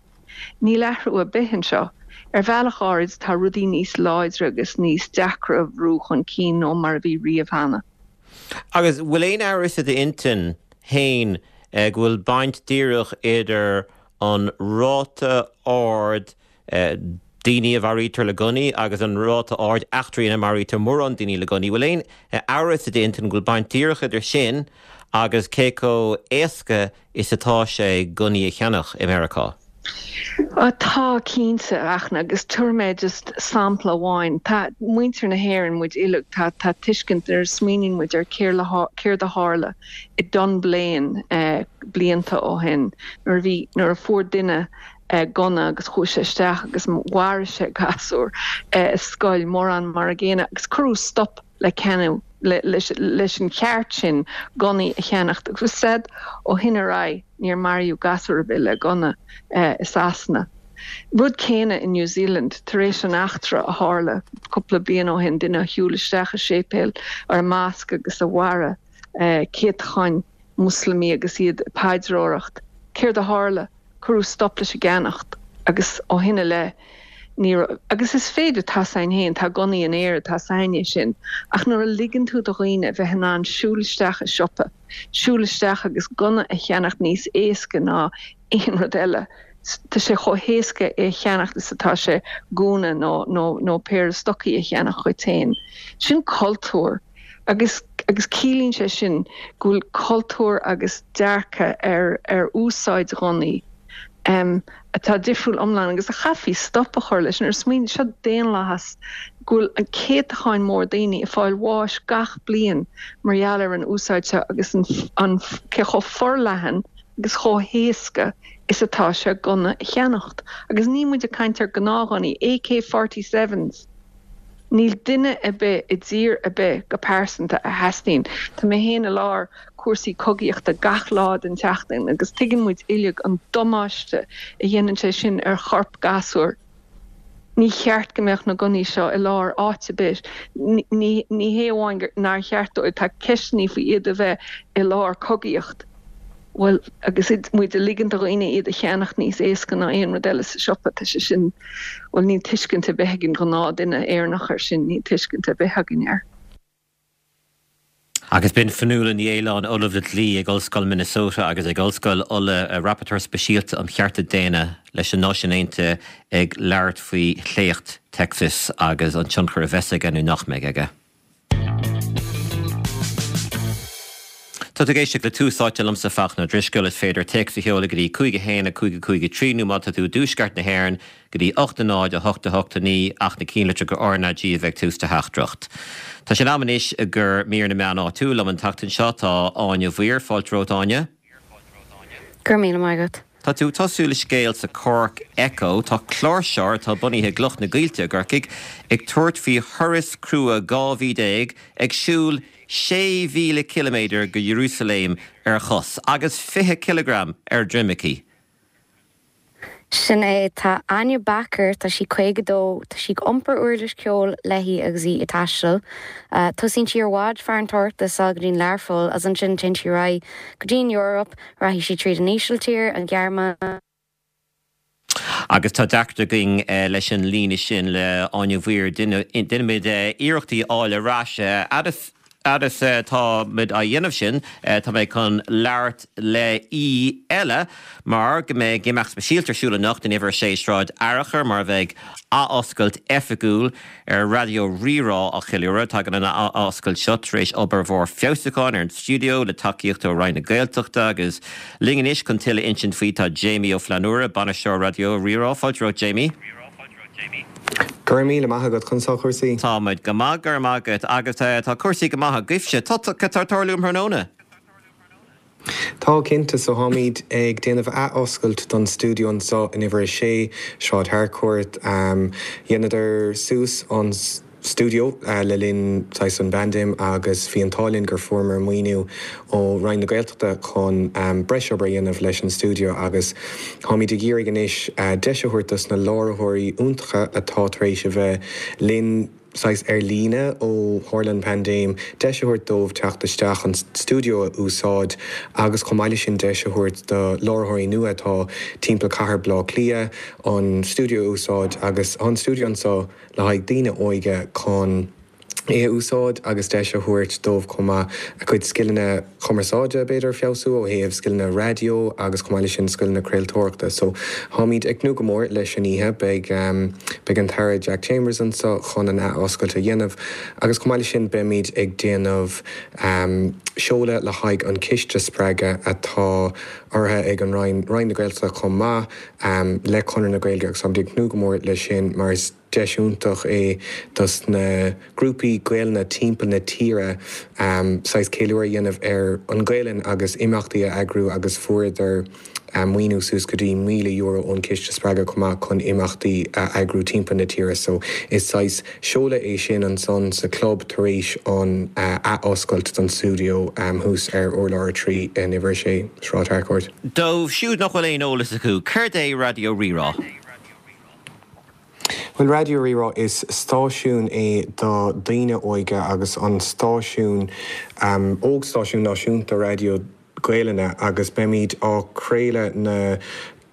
níl athrú ar bith anseo. Ar bhealach áirid tá rudaí níos láidre agus níos deacra a bhrú chun cinn ná mar a bhí riamh cheana. Agus bhfuil aon amhras i d'intinn féin go bhfuil baint díreach idir an ráta ard daoine a mharaítear le gunnaí agus an ráta ard eachtraí ina maraítear mórán daoine le gunnaí. Bhfuil aon amhras i d'intinn go bhfuil baint díreach idir sin agus cé chomh éasca is atá sé gunnaí a cheannach i Meiriceá? Tá, cinnte, a Fhachtna, agus tabharfaidh mé just sampla amháin. Tá muintir na hÉireann, muid uilig, tá tá tuiscint nuair a smaoiníonn muid ar céard a tharla i Dunblane blianta ó shin nuair a bhí, nuair a fuair duine gunna agus chuaigh sé isteach agus mharaigh sé gasúr i scoil, mórán mar an gcéanna agus cuireadh stop le ceannú, leis an cheart sin gunnaí a cheannacht agus said ó shin ar aghaidh níor maraíodh gasúr ar bith le gunna i Sasana. Rud céanna i New Zealand, tar éis an eachtra a tharla cúpla bliain ó shin, duine a shiúil isteach i séipéal or i mosque agus a mharaigh céatacháin Muslamaí agus iad ag paidreoireacht. Céard a tharla? Cuireadh stop leis an gceannacht agus ó shin i leith ní raibh, agus is féidir, tá's a'inn féin, tá gunnaí in Éirinn, tá's a'inn é sin, ach nuair a ligeann tú do dhaoine a bheith in ann siúl isteach i siopa, siúl isteach agus gunna a cheannacht níos éasca ná aon rud eile, tá sé chomh héasca é a cheannacht is atá sé gúna nó, nó, nó péire stocaí a cheannach dhuit féin. Sin cultúr. Agus agus ciallaíonn sé sin go bhfuil cultúr agus dearcadh ar ar úsáid ghunnaí atá difriúil iomlán agus a chaithfí stop a chur leis. Nuair a smaoiníonn, seo daonlathas go bhfuil an céatacháin mór daoine ag fáil bháis gach bliain mar gheall ar an úsáid seo agus an an cé chomh forleathan agus chomh héasca is atá sé gunna a cheannacht. Agus níl muid ag caint ar gnáthghunnaí, AK-47s! Níl duine ar bith i dtír ar bith go pearsanta a theastaíonn. Tá mé féin i lár cúrsaí cogaíochta gach lá den tseachtain agus tuigeann muid uilig an damáiste a dhéanann sé sin ar chorp gasúir. Ní cheart go mbeadh na gunnaí seo i lár áit ar bith. Ní hé amháin nár cheart dóibh, tá ceisteanna faoi iad a bheith i lár cogaíocht. Bhuel, agus muid ag ligean do dhaoine iad a cheannacht níos éasca ná aon rud eile sa siopa, tá sé sin, bhuel, níl tuiscint ar bith ag an ghnáthduine Éireannach air sin, níl tuiscint ar bith againn air. Agus b'in Fionnuala Ní Aoláin, Ollamh le Dlí ag Ollscoil Minnesota agus ag Ollscoil Uladh, Rapporteur Speisialta um Chearta Daonna leis na Náisiúin Aontaithe ag labhairt faoi shléacht Texas agus an tionchar a bheas aige nó nach mbeidh aige. Tá tú ag éisteacht le Tús Áite liomsa, Fachtna Ó Drisceoil. Is féidir téacs a sheoladh go dtí 5 1 5 5 3 nó má tá tú i dtuaisceart na hÉireann go dtí 8 0 8 8 9 ach na cinnlitreacha RnaG a bheith ag tús do theachtaireacht. Tá sé in am anois do mhír na meán áitiúil. Liom an tseachtain seo tá Áine Mhaoir. Fáilte romhat, Áine. Go raibh míle maith agat. Tá tú ag tosú le scéal sa Cork Echo. Tá cláirseoir atá bunaithe i gCloch na gCoillte i gCorcaigh ag tabhairt faoi thuras crua 12 mhí ag siúl 6,000 ciliméadar go Iarúsailéim ar chos agus 20 cileagram ar droim aici. Sin é. Tá Áine Becker, tá sí 52, tá sí ag iompar uirlis ceoil léi agus í ag taisteal. Tosaíonn sí ar bhád farantóireachta sall go dtí'n Learpholl agus ansin téann sí ar aghaidh go dtí'n Eoraip, rachaidh sí tríd an Ísiltír, an Ghearmáin, Agus tá deacracht againn leis an líne sin le Áine Mhaoir. Déanfaimid iarracht í a fháil ar ais. Fhad is atá muid á dhéanamh sin, tá mé chun labhairt le aoi eile mar go mbeidh imeacht speisialta ar siúl anocht in Uimhir 6 Sráid Fhearchair mar a bheidh athoscailt oifigiúil ar Raidió Rí-Rá á cheiliúradh. Tagann an athoscailt seo tar éis obair mhór feabhsúcháin ar an stiúideo le tacaíocht ó Roinn na Gaeltachta agus linn anois chun tuilleadh a insint faoi tá Jamie Ó Flannúra, Bainisteoir Raidió Rí-Rá. Fáilte romhat Jamie. Go raibh míle maith agat, conas tá cúrsaí? Tá muid go maith, go raibh maith agat. Agus tá cúrsaí go maith agaibhse. Tá, cad tá ag tarlú um thráthnóna? Tá, cinnte. So táimid ag déanamh ath-oscailt don stiúideo anseo in uimhir 6, Sráid Harcourt. Dheineadar suas an stiúideo le linn saghas an bpaindéim agus bhí an t-ádh linn gur fuaireamar maoiniú ó Roinn na Gaeltachta chun breis obair a dhéanamh leis an stiúideo agus táimid ag iarraidh anois deis a thabhairt dos na láithreoirí iontacha atá tar éis a bheith linn saghas ar líne ó tharla an paindéim, deis a thabhairt dóibh teacht isteach an stiúideo a úsáid agus chomh maith leis sin deis a thabhairt do láithreoirí nua atá timpeall cathair Bhaile Átha Cliath an stiúideo a úsáid agus tá an stiúideo anseo le haghaidh daoine óige chun é a úsáid agus deis a thabhairt dóibh chomh maith a gcuid scileanna cumarsáide b'fhéidir a feabhsú ó thaobh scileanna raidió agus chomh maith leis sin scileanna craoltóireachta. So táimid ag tnúth go mór leis an oíche. Beidh beidh an tAire Jack Chambers anseo chun an ath-oscailt a dhéanamh agus chomh maith leis sin beimid ag déanamh seoladh le haghaidh an ciste spreagadh atá urraithe ag an Roinn, Roinn na Gaeltachta chomh maith le Conradh na Gaeilge agus táimid ag tnúth go mór leis sin mar is deis iontach é dos na grúpaí Gaelainne timpeall na tíre saghas ceiliúradh a dhéanamh ar an Ghaelainn agus imeachtaí a eagrú agus fuaireadar maoiniú suas go dtí €1,000 ón Chiste Spreagadh chomh maith chun imeachtaí a eagrú timpeall na tíre so is saghas seoladh é sin ansan sa chlub tar éis an ath-oscailt don stiúideo thuas ar urlár 3 in uimhir 6, Sráid Harcourt. Dóibh siúd nach bhfuil aon eolas acu, céard é Raidió Rí-Rá? Bhuel, Raidió Rí-Rá, is stáisiún é do daoine óige agus an stáisiún óg-stáisiún náisiúnta raidió Gaelainne agus beimid á craoladh na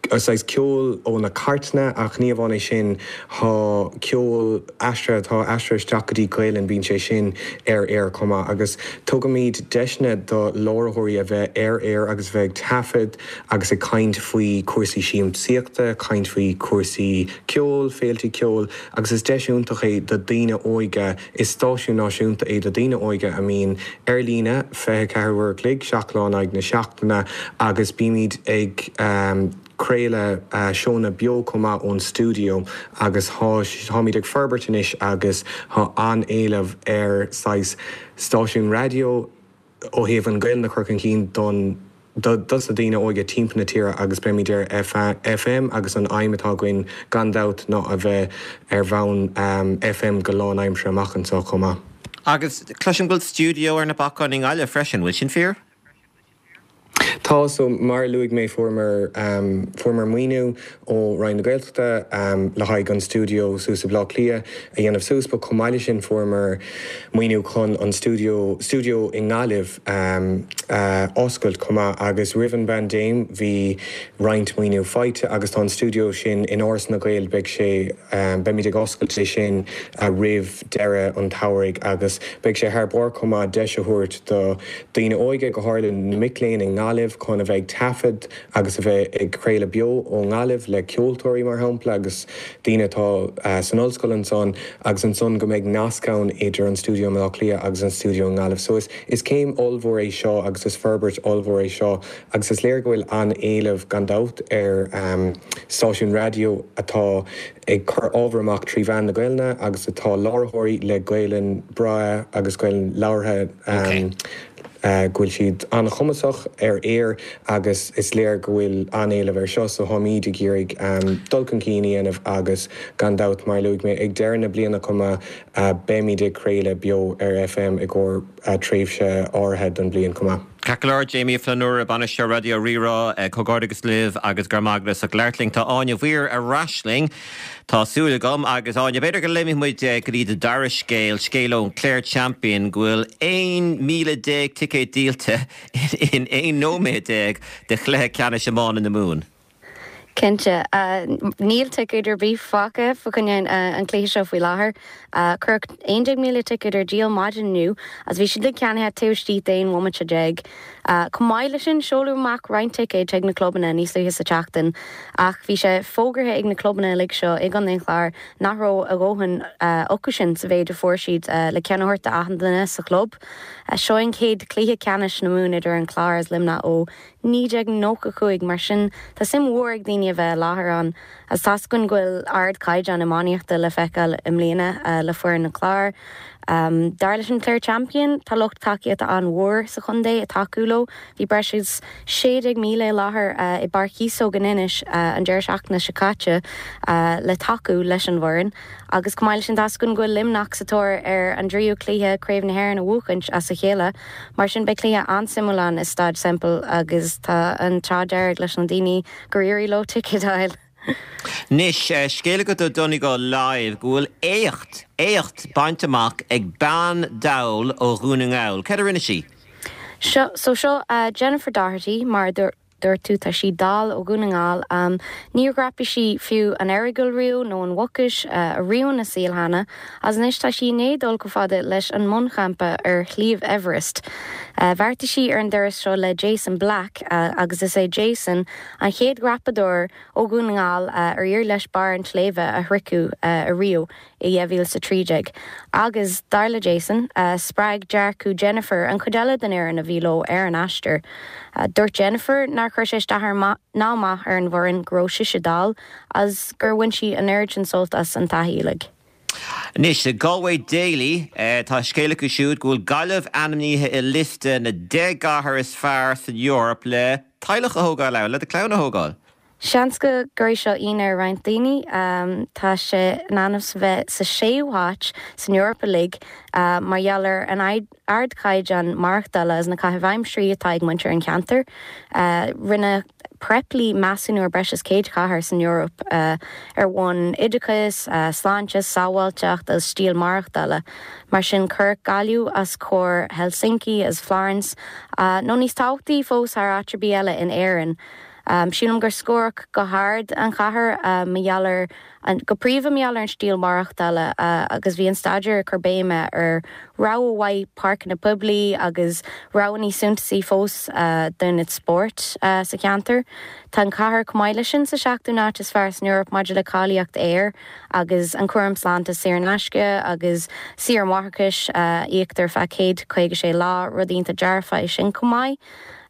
saghas ceol ó na cairteanna ach ní amháin é sin tá ceol aistrithe atá aistrithe isteach go dtí Gaelainn bíonn sé sin ar aer chomh maith agus tugaimid deiseanna do láithreoirí a bheith ar aer agus a bheith ag taifead agus ag caint faoi chúrsaí siamsaíochta, caint faoi chúrsaí ceoil, féiltí ceoil agus is deis iontach é do daoine óige, is stáisiún náisiúnta é do daoine óige a mbíonn ar líne 24 uair a chloig, 7 lá in aghaidh na seachtaine agus bímid ag craoladh seónna beo chomh maith ón stiúideo agus táimid ag forbairt anois agus tá an-éileamh ar saghas stáisiún raidió ó thaobh an Ghaelainn a chur chun cinn don dos na daoine óige timpeall na tíre agus beimid ar FM agus an aidhm atá againn gan dabht ná a bheith ar bhonn FM go lánaimseartha amach anseo chomh maith. Agus cloisim go bhfuil stiúideo ar na bacáin i nGaillimh freisin, bhfuil sin fíor? Tá, so mar a luaigh mé fuaireamar fuaireamar maoiniú ó Roinn na Gaeltachta le haghaidh an stiúideo suas i Bleá Cliath a dhéanamh suas but chomh maith leis sin fuaireamar maoiniú chun an stiúideo stiúideo i nGaillimh a oscailt chomh maith agus roimh an bpaindéim bhí roinnt maoiniú faighte agus tá an stiúideo sin in Áras na nGael beidh sé beimid ag oscailt é sin roimh deireadh an tsamhraidh agus beidh sé thar barr chomh maith deis a thabhairt do daoine óige go háirithe na mic léinn i nGaillimh chun a bheith ag taifead agus a bheith ag craoladh beo ó nGaillimh le ceoltóirí mar shampla agus daoine atá san ollscoil ansan agus ansan go mbeidh nasc ann idir an stiúideo i mBaile Átha Cliath agus an stiúideo i nGaillimh. So is is céim ollmhór é seo agus is forbairt ollmhór é seo agus is léir go bhfuil an-éileamh gan dabht ar stáisiún raidió atá ag cur ábhar amach trí mheán na Gaelainne agus atá láithreoirí le Gaelainn breá agus Gaelainn labhartha go bhfuil siad an-chumasach ar aer agus is léir go bhfuil an-éileamh air seo so táimíd ag iarraidh dul chun cinn a dhéanamh agus gan dabht mar a luaigh mé ag deireadh na bliana chomh maith beimíd ag craoladh beo ar FM i gcomhair tréimhse áirithe don bhliain chomh maith. Ceart go leor, Jamie Ó Flannúra, Bainisteoir Raidió Rí-Rá, comhghairdeachas libh agus go raibh maith agat as ucht labhairt linn. Tá Áine Mhaoir ar ais linn, tá súil agam, agus Áine, b'fhéidir go léimfidh muid go dtí do dara scéal, scéal ón Clare Champion, go bhfuil 11,000 ticéad díolta in 11 nóiméad de chluiche ceannais iomána na Mumhan. Cinnte. Níl ticéad ar bith fágtha fá choinne an chluiche seo faoi láthair. Cuireadh 11,000 ticéad ar díol maidin inniu agus bhí siad uilig ceannaithe taobh istigh d'aon bhomaite déag. Chomh maith leis sin, seoladh amach roinnt ticéad chuig na clubanna níos luaithe sa tseachtain ach bhí sé fógartha ag na clubanna uilig seo i gContae an Chláir nach raibh a dhóthain acu sin sa mhéid a fuair siad le ceann a thabhairt d'achan duine sa chlub. Seo an chéad chluiche ceannais na Mumhan idir an Clár agus Luimneach ó 1995, mar sin tá suim mhór ag daoine a bheith i láthair ann agus tá's againn go bhfuil ardchaighdeán iománaíochta le feiceáil i mbliana le foireann an Chláir. Dar leis an Clare Champion, tá lucht tacaíochta an-mhór sa chontae ag tacú leo. Bhí breis agus 16,000 i láthair i bPáirc Chíosóg in Inis an deireadh seachtaine seo caite le tacú leis an bhfoireann. Agus chomh maith leis sin, tá's againn go bhfuil Luimneach sa tóir ar an dtríú cluiche Craobh na hÉireann a bhuachaint as a chéile. Mar sin beidh cluiche an-suimiúil ann i Staid Semple agus tá an t-ádh dearg leis na daoine gur éirigh leo ticéad a fháil. Anois, scéal agat ó Donegal Live go bhfuil éacht, éacht bainte amach ag bean dall ó Dhún na nGall. Céard a rinne sí? Seo, so seo Jennifer Doherty, mar a dúirt. dúirt tú, tá sí dall ó Dhún na nGall. Níor dhreapaigh sí fiú an Earagail riamh nó an Mhucais ariamh ina saol cheana agus anois tá sí i ndiaidh dul chomh fada leis an mbunchampa ar Shliabh Everest. Bheartaigh sí ar an dturas seo le Jason Black agus is é Jason an chéad dhreapadóir ó Dhún na nGall ar éirigh leis barr an tsléibhe a shroicheadh ariamh. i 2013 agus, dar le Jason, spreag dearcadh Jennifer an chuid eile den fhoireann a bhí leo ar an aistear. Dúirt Jennifer nár chuir sé isteach ná amach ar an bhfoireann go raibh sise dall agus gur bhain sí an oiread sin sult as an taithí uilig. Anois, Galway Daily, tá scéal acu siúd go bhfuil Gaillimh ainmnithe i liosta na 10 gcathair is fearr san Eoraip le teaghlach a thógáil ann, le do chlann a thógáil. Seans go gcuirfidh seo ionadh ar roinnt daoine. Tá sé in ainm is a bheith sa séú háit san Eoraip uilig mar gheall ar an ardchaighdeán maireachtála agus na caithimh aimsirí atá ag muintir an cheantair. Rinne Preply measúnú ar breis is 100 chathair san Eoraip ar bhonn oideachais, sláinte, sábháilteacht agus stíl maireachtála. Mar sin cuireadh Gaillimh os comhair Helsinki agus Florence, nó níos tábhachtaí fós thar áit ar bith eile in Éirinn. Sílim gur scóradh go hard an chathair mar gheall ar, go príomha mar gheall ar an stíl maireachtála agus bhí an staidéar ag cur béime ar rogha mhaith páirceanna poiblí agus rogha níos suntasaí fós d'ionaid spóirt sa cheantar. Tá an chathair chomh maith leis sin sa seachtú n-áit is fearr san Eoraip maidir le cáilíocht aeir agus an cúram sláinte saor in aisce agus saoire máithreachais a íoctar feadh 156 lá, rud iontach dearfach é sin chomh maith.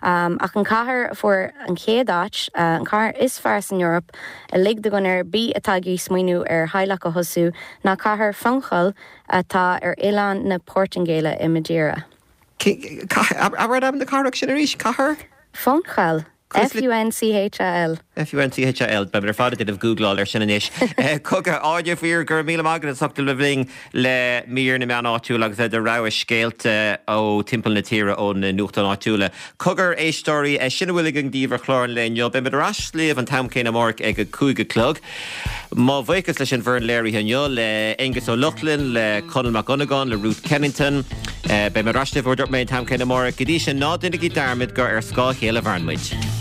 Ach an chathair a fuair an chéad áit, an chathair is fearr san Eoraip uilig do dhuine ar bith atá ag iarraidh smaoineamh ar theaghlach a thosú, ná cathair Funchal atá ar oileán na Portaingéile i Madeira. Abair ainm na cathrach sin arís, cathair? Funchal. F-U-N-C-H-A-L. F-U-N-C-H-A-L. Beimid ar fad ag déanamh gúgláil air sin anois. Cogar, Áine Mhaoir, go raibh míle maith agat as ucht a bheith linn le mír na meán áitiúil agus le do rogha scéalta ó timpeall na tíre ó na nuachtáin áitiúla. Cogar, éisteoirí, sin a bhfuil againn daoibh ar chlár an lae inniu. Beimid ar ais libh an t-am céanna amárach ag a 5 a chlog. Mo bhuíochas leis an bhfoireann léirithe inniu, le Aonghus Ó Lochlainn, le Conall Mac Dhonnagáin, le Ruth Kennington. Beidh mé ar ais libh, mar a dúirt mé, an t-am céanna amárach. Go dtí sin, ná déanaigí dearmad gur ar scáth a chéile a mhaireann muid.